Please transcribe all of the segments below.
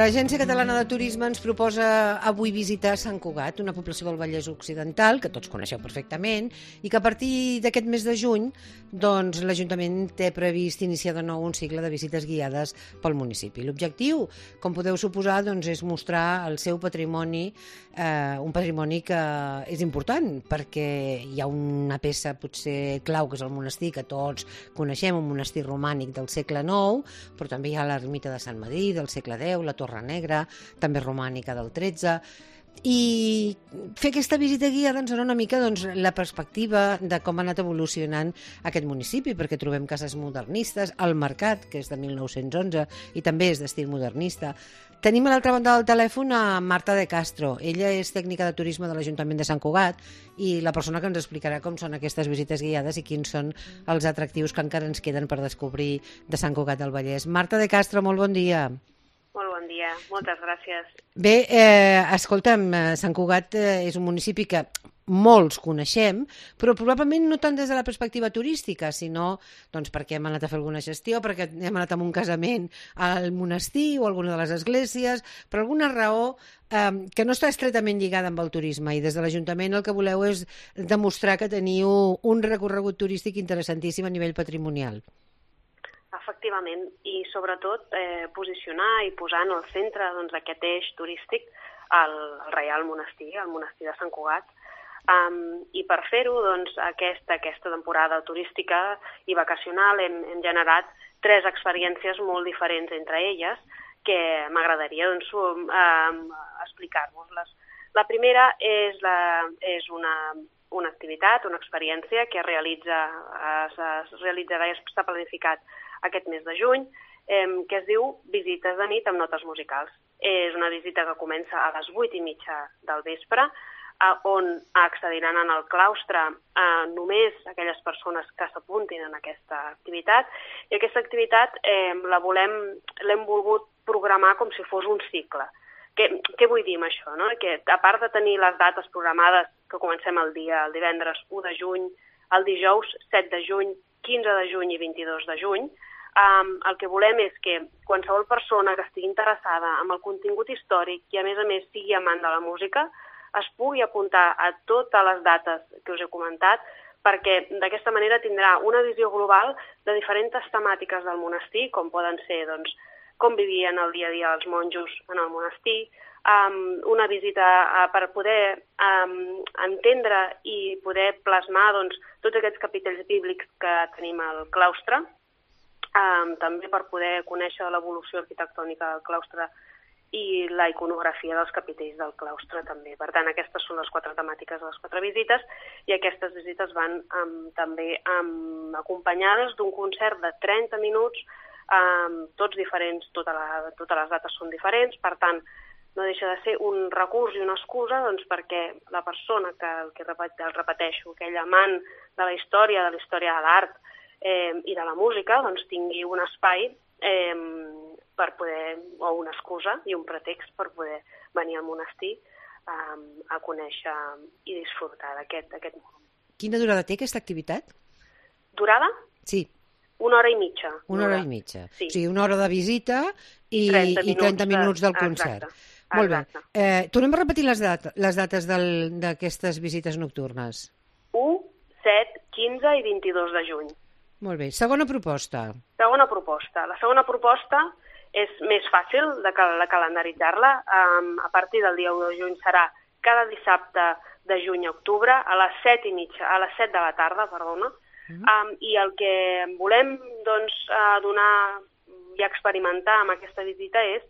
l'Agència Catalana de Turisme ens proposa avui visitar Sant Cugat, una població del Vallès Occidental, que tots coneixeu perfectament, i que a partir d'aquest mes de juny doncs, l'Ajuntament té previst iniciar de nou un cicle de visites guiades pel municipi. L'objectiu, com podeu suposar, doncs, és mostrar el seu patrimoni, un patrimoni que és important, perquè hi ha una peça potser clau, que és el monestir, que tots coneixem, un monestir romànic del segle IX, però també hi ha l'ermita de Sant Madrí del segle X, la Torre Negra, també romànica del XIII, i fer aquesta visita guiada ens dona una mica la perspectiva de com ha anat evolucionant aquest municipi, perquè trobem cases modernistes, el mercat, que és de 1911 i també és d'estil modernista. Tenim a l'altra banda del telèfon a Marta de Castro. Ella és tècnica de turisme de l'Ajuntament de Sant Cugat i la persona que ens explicarà com són aquestes visites guiades i quins són els atractius que encara ens queden per descobrir de Sant Cugat del Vallès. Marta de Castro, molt bon dia. Molt bon dia, moltes gràcies. Bé, escolta'm, Sant Cugat és un municipi que molts coneixem, però probablement no tant des de la perspectiva turística, sinó doncs, perquè hem anat a fer alguna gestió, perquè hem anat a un casament al monestir o a alguna de les esglésies, per alguna raó que no està estretament lligada amb el turisme, i des de l'Ajuntament el que voleu és demostrar que teniu un recorregut turístic interessantíssim a nivell patrimonial. Efectivament, i sobretot posicionar i posar en el centre aquest eix turístic el Reial Monestir, el Monestir de Sant Cugat. I per fer-ho, aquesta temporada turística i vacacional hem generat 3 experiències molt diferents entre elles que m'agradaria explicar-vos-les. La primera és una activitat, una experiència que es realitzarà i s'ha planificat aquest mes de juny, que es diu Visites de nit amb notes musicals. És una visita que comença a les 8:30 del vespre, on accediran en el claustre només aquelles persones que s'apuntin en aquesta activitat, i aquesta activitat l'hem volgut programar com si fos un cicle. Què vull dir amb això? No? Que a part de tenir les dates programades, que comencem el divendres 1 de juny, el dijous 7 de juny, 15 de juny i 22 de juny, el que volem és que qualsevol persona que estigui interessada en el contingut històric i a més sigui amant de la música es pugui apuntar a totes les dates que us he comentat, perquè d'aquesta manera tindrà una visió global de diferents temàtiques del monestir, com poden ser com vivien el dia a dia els monjos en el monestir, una visita per poder entendre i poder plasmar tots aquests capitells bíblics que tenim al claustre, també per poder conèixer l'evolució arquitectònica del claustre i la iconografia dels capitells del claustre també. Per tant, aquestes són les 4 temàtiques de les 4 visites, i aquestes visites van també acompanyades d'un concert de 30 minuts, tots diferents, totes les dates són diferents, per tant, no deixa de ser un recurs i una excusa perquè la persona que repeteixo, aquell amant de la història de l'art i de la música, tingui un espai per poder, o una excusa i un pretext per poder venir al monestir a conèixer i disfrutar d'aquest món. Quina durada té aquesta activitat? Durada? Sí. 1 hora i mitja. 1 hora i mitja. Sí. O sigui, 1 hora de visita i 30 minuts del concert. Exacte. Molt bé. Tornem a repetir les dates d'aquestes visites nocturnes. 1, 7, 15 i 22 de juny. Molt bé. Segona proposta. Segona proposta. La segona proposta és més fàcil de calendaritzar-la. A partir del dia 1 de juny serà cada dissabte de juny a octubre a les 7 de la tarda, i el que volem donar i experimentar amb aquesta visita és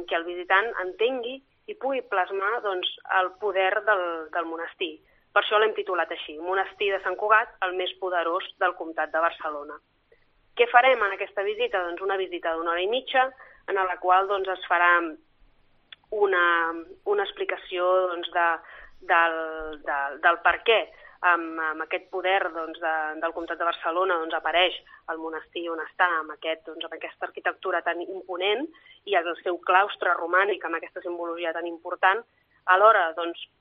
que el visitant entengui i pugui plasmar el poder del monestir. Per això l'hem titulat així, Monestir de Sant Cugat, el més poderós del Comtat de Barcelona. Què farem en aquesta visita? Una visita d'1 hora i mitja, en la qual es farà una explicació del per què amb aquest poder del Comtat de Barcelona apareix el monestir on està, amb aquesta arquitectura tan imponent i el seu claustre romànic amb aquesta simbologia tan important. Alhora,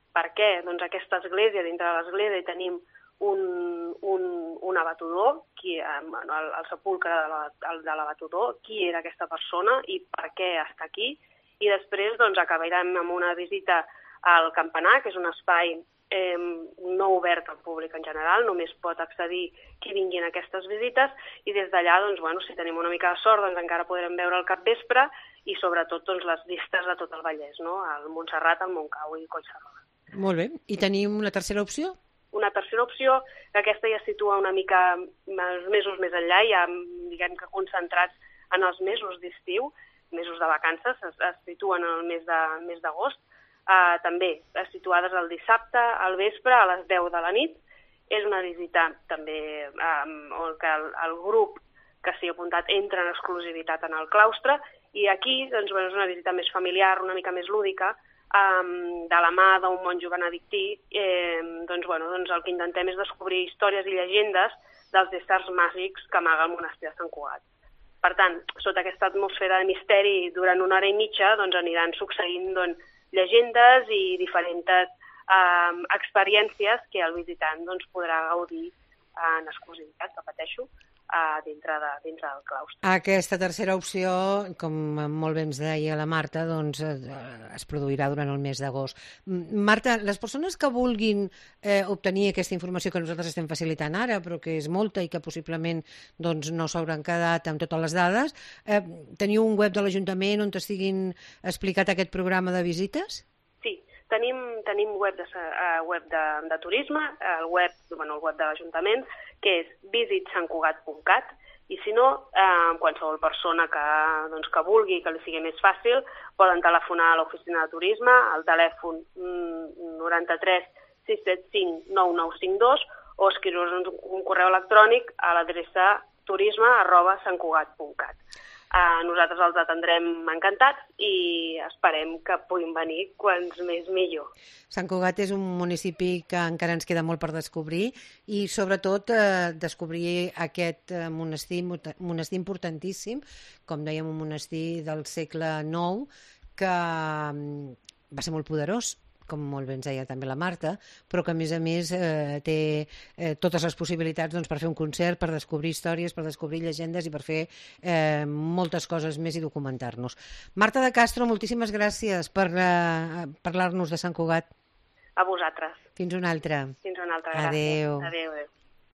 per què aquesta església, dintre de l'església hi tenim un abatudor, el sepulcre de l'abatudor, qui era aquesta persona i per què està aquí, i després doncs, acabarem amb una visita al campanar, que és un espai no obert al públic en general, només pot accedir qui vingui en aquestes visites, i des d'allà, doncs, bueno, si tenim una mica de sort, doncs encara podrem veure el capvespre i sobretot doncs, les vistes de tot el Vallès, no? El Montserrat, el Montcau i Collserola. Molt bé. I tenim una tercera opció? Una tercera opció, que aquesta ja situa una mica mesos més enllà, ja diguem que concentrats en els mesos d'estiu, mesos de vacances, es situen en el mes d'agost, també situades el dissabte al vespre a les 10 de la nit. És una visita també on el grup que s'hi ha apuntat entra en exclusivitat en el claustre, i aquí doncs, és una visita més familiar, una mica més lúdica, de la mà d'un monjo benedictí. Doncs el que intentem és descobrir històries i llegendes dels éssers màgics que amaga el monestir de Sant Cugat. Per tant, sota aquesta atmosfera de misteri, durant una hora i mitja doncs, aniran succeint llegendes i diferents experiències que el visitant doncs, podrà gaudir en exclusivitat, repeteixo, dintre del claustre. Aquesta tercera opció, com molt bé ens deia la Marta, doncs, es produirà durant el mes d'agost. Marta, les persones que vulguin obtenir aquesta informació que nosaltres estem facilitant ara, però que és molta i que possiblement doncs, no s'hauran quedat amb totes les dades, teniu un web de l'Ajuntament on estiguin explicat aquest programa de visites? Sí, tenim web de turisme, el web de l'Ajuntament, que és visitsantcugat.cat, i si no, qualsevol persona que vulgui, que li sigui més fàcil, poden telefonar a l'oficina de turisme, al telèfon 93 675 9952, o escriure's un correu electrònic a l'adreça turisme@santcugat.cat. Nosaltres els atendrem encantats i esperem que puguin venir quants més millor. Sant Cugat és un municipi que encara ens queda molt per descobrir i sobretot descobrir aquest monestir importantíssim, com dèiem, un monestir del segle IX que va ser molt poderós, com molt bé ens deia també la Marta, però que a més té totes les possibilitats doncs, per fer un concert, per descobrir històries, per descobrir llegendes i per fer moltes coses més i documentar-nos. Marta de Castro, moltíssimes gràcies per parlar-nos de Sant Cugat. A vosaltres. Fins una altra. Fins una altra, gràcies. Adéu. Adéu.